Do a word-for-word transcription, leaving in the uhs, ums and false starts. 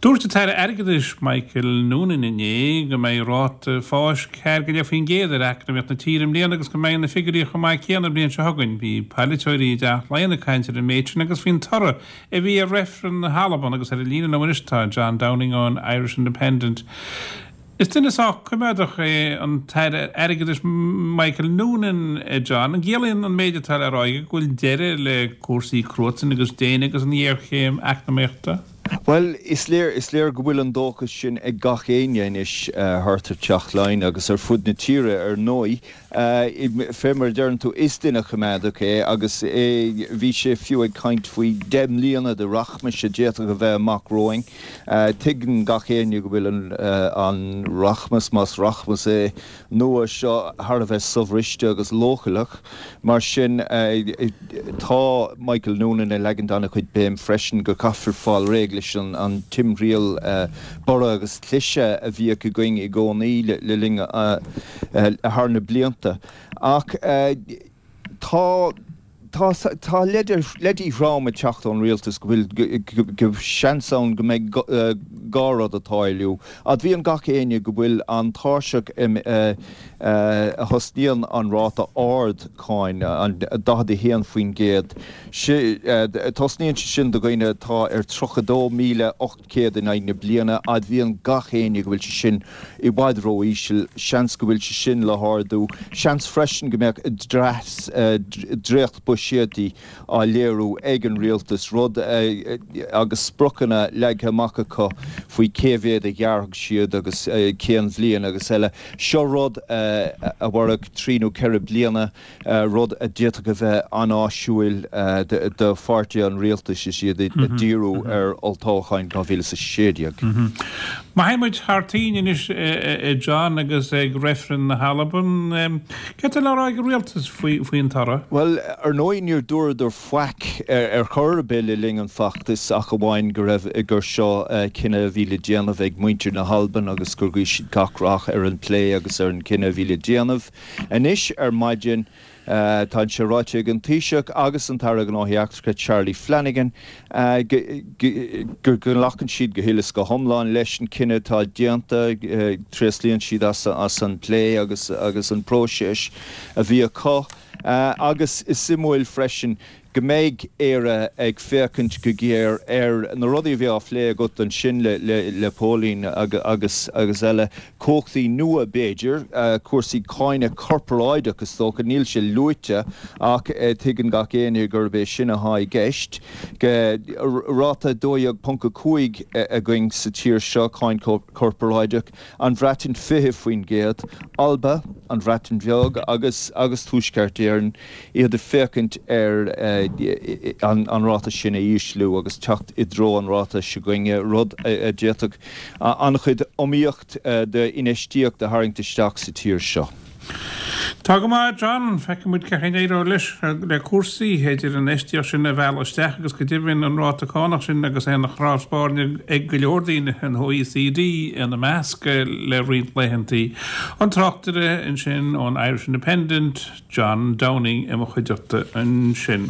Dúirt an tAire Airgeadais Michael Noonan inné go mbeidh ráta fáis ceathair go leith faoin gcéad ar eacnamaíocht na tíre i mbliana agus go mbeidh na figiúirí chomh maith céanna an bhliain seo chugainn. Bhí polaiteoirí i dTeach Laighean ag caint ar an méid sin agus faoin toradh a bhí ar reifreann na hAlban agus ar an líne liom anois tá John Downing ón Irish Independent. Is duine sách coimeádach é an tAire Airgeadais Michael Noonan, John. An gciallaíonn an méid atá le rá aige go bhfuil deireadh le cúrsaí cruatain agus déine agus an ghéarchéim eacnamaíochta? Bhuel, is léir, is léir go bhfuil an dóchas sin ag gach éinne anois thart ar Teach Laighean agus ar fud na tíre, ar ndóigh. Fé mar a deireann tú, is duine coimeádach é agus é, bhí sé fiú ag caint faoi deich mbliana de rachmais a d'fhéadfadh a bheith amach romhainn. Tuigeann gach éinne go bhfuil an, an rachmas, más rachmas é, nua seo thar a bheith sobhriste agus leochaileach. Mar sin, tá Michael Noonan ag leagaint an-chuid béim freisin go gcaithfear fáil réidh leis an timthriall borradh agus cliseadh a bhíodh againn i gcónaí le linn thar na blianta. Ach tá tá tá leidí trom ag teacht ón rialtas go bhfuil go seans ann go mbeidh dhá rud ag tarlú. Admhaíonn gach éinne go bhfuil an tairseach a thosnaíonn an ráta ard cáin, an daichead a haon faoin gcéad, tosnaíonn sé sin do dhaoine atá ar tríocha dó míle ocht céad in aghaidh na bliana. Admhaíonn gach éinne go bhfuil sé sin i bhfad ró-íseal. Seans go bhfuil sé sin le hardú. Seans freisin go mbeadh dréacht buiséadaí á léiriú ag an rialtas, rud agus spriocanna leagtha amach acu faoi cé mhéad a ghearrfaidh siad agus cén bhliain agus eile. Seo rud a mhairfeadh trí nó ceithre bliana. rud a d'fhéadfadh a bheith an-áisiúil do pháirtithe an rialtais is iad ag díriú ar olltoghcháin dhá mhíle is a sé déag. Má théann muid thar toinn anois, a John, agus ag reifreann na hAlban, céard atá le rá ag an rialtas faoin toradh? Bhuel, ar ndóigh níor dúradar faic ar chor ar bith le linn an feachtais ach amháin go raibh, gur seo cinneadh a bhí le déanamh ag muintir na hAlban agus gur ghuigh siad gach rath ar an bplé agus ar an gcinneadh a bhí le déanamh. Anois ar maidin, tá sé ráite ag an Taoiseach agus an tAire Gnóthaí Eachtracha Charlie Flanagan go nglacann siad go huile is go hiomlán leis an cinneadh atá déanta, tréaslaíonn siad as an bplé agus agus an próiseas a bhí acu agus is suimiúil freisin go mbeidh Éire ag féachaint go géar ar na rudaí a bhí á phlé agat ansin le Póilín agus agus eile, cumhachtaí nua b'fhéidir, cúrsaí cáine corparáideach is dócha, níl sé luaite ach tuigeann gach éinne gurb é sin atá i gceist. Ráta dó dhéag ponc a cúig againn sa tír seo, cáin chorparáideach, an Bhreatain fiche faoin gcéad, Alba, an Bhreatain Bheag agus agus Tuaisceart Éireann, iad ag féachaint ar an ráta sin a ísliú agus teacht i dtreo an ráta s'againne, rud a d'fhéadfadh an-chuid iomaíocht d'infheistíocht a tharraingt isteach sa tír seo. Tá go maith, John. Feicfidh muid cén chaoi a n-éireoidh leis le cúrsaí, idir an infheistíocht sin a mhealladh isteach agus go deimhin an ráta cánach sin agus é ina chnámh spairne ag go leor daoine, an OECD ina measc, le roinnt laethanta. An tráchtaire ansin ón Irish Independent, John Downing i mo chuideachta ansin.